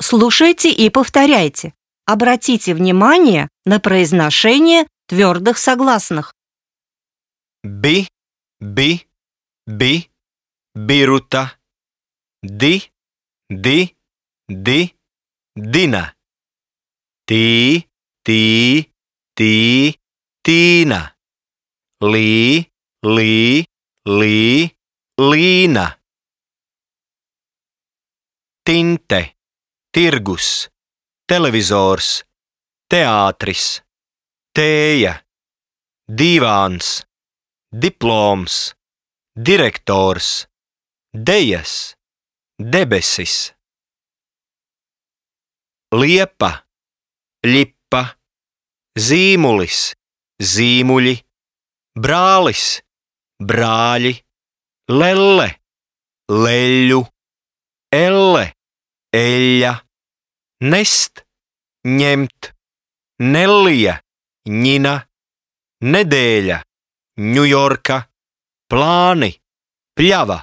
Слушайте и повторяйте. Обратите внимание на произношение твердых согласных. Bi, biruta, di, dina. Ti, tīna. Lī, līna. Tinte, tirgus, televizors, teātris, tēja, divāns, diploms, direktors, dejas, debesis. Liepa, ļipa, zīmulis, zīmuļi, brālis, brāļi, lelle, leļu, elle, eļļa, nest, ņemt, Nellija, ņina, nedēļa, Ņujorka, plāni, pļava.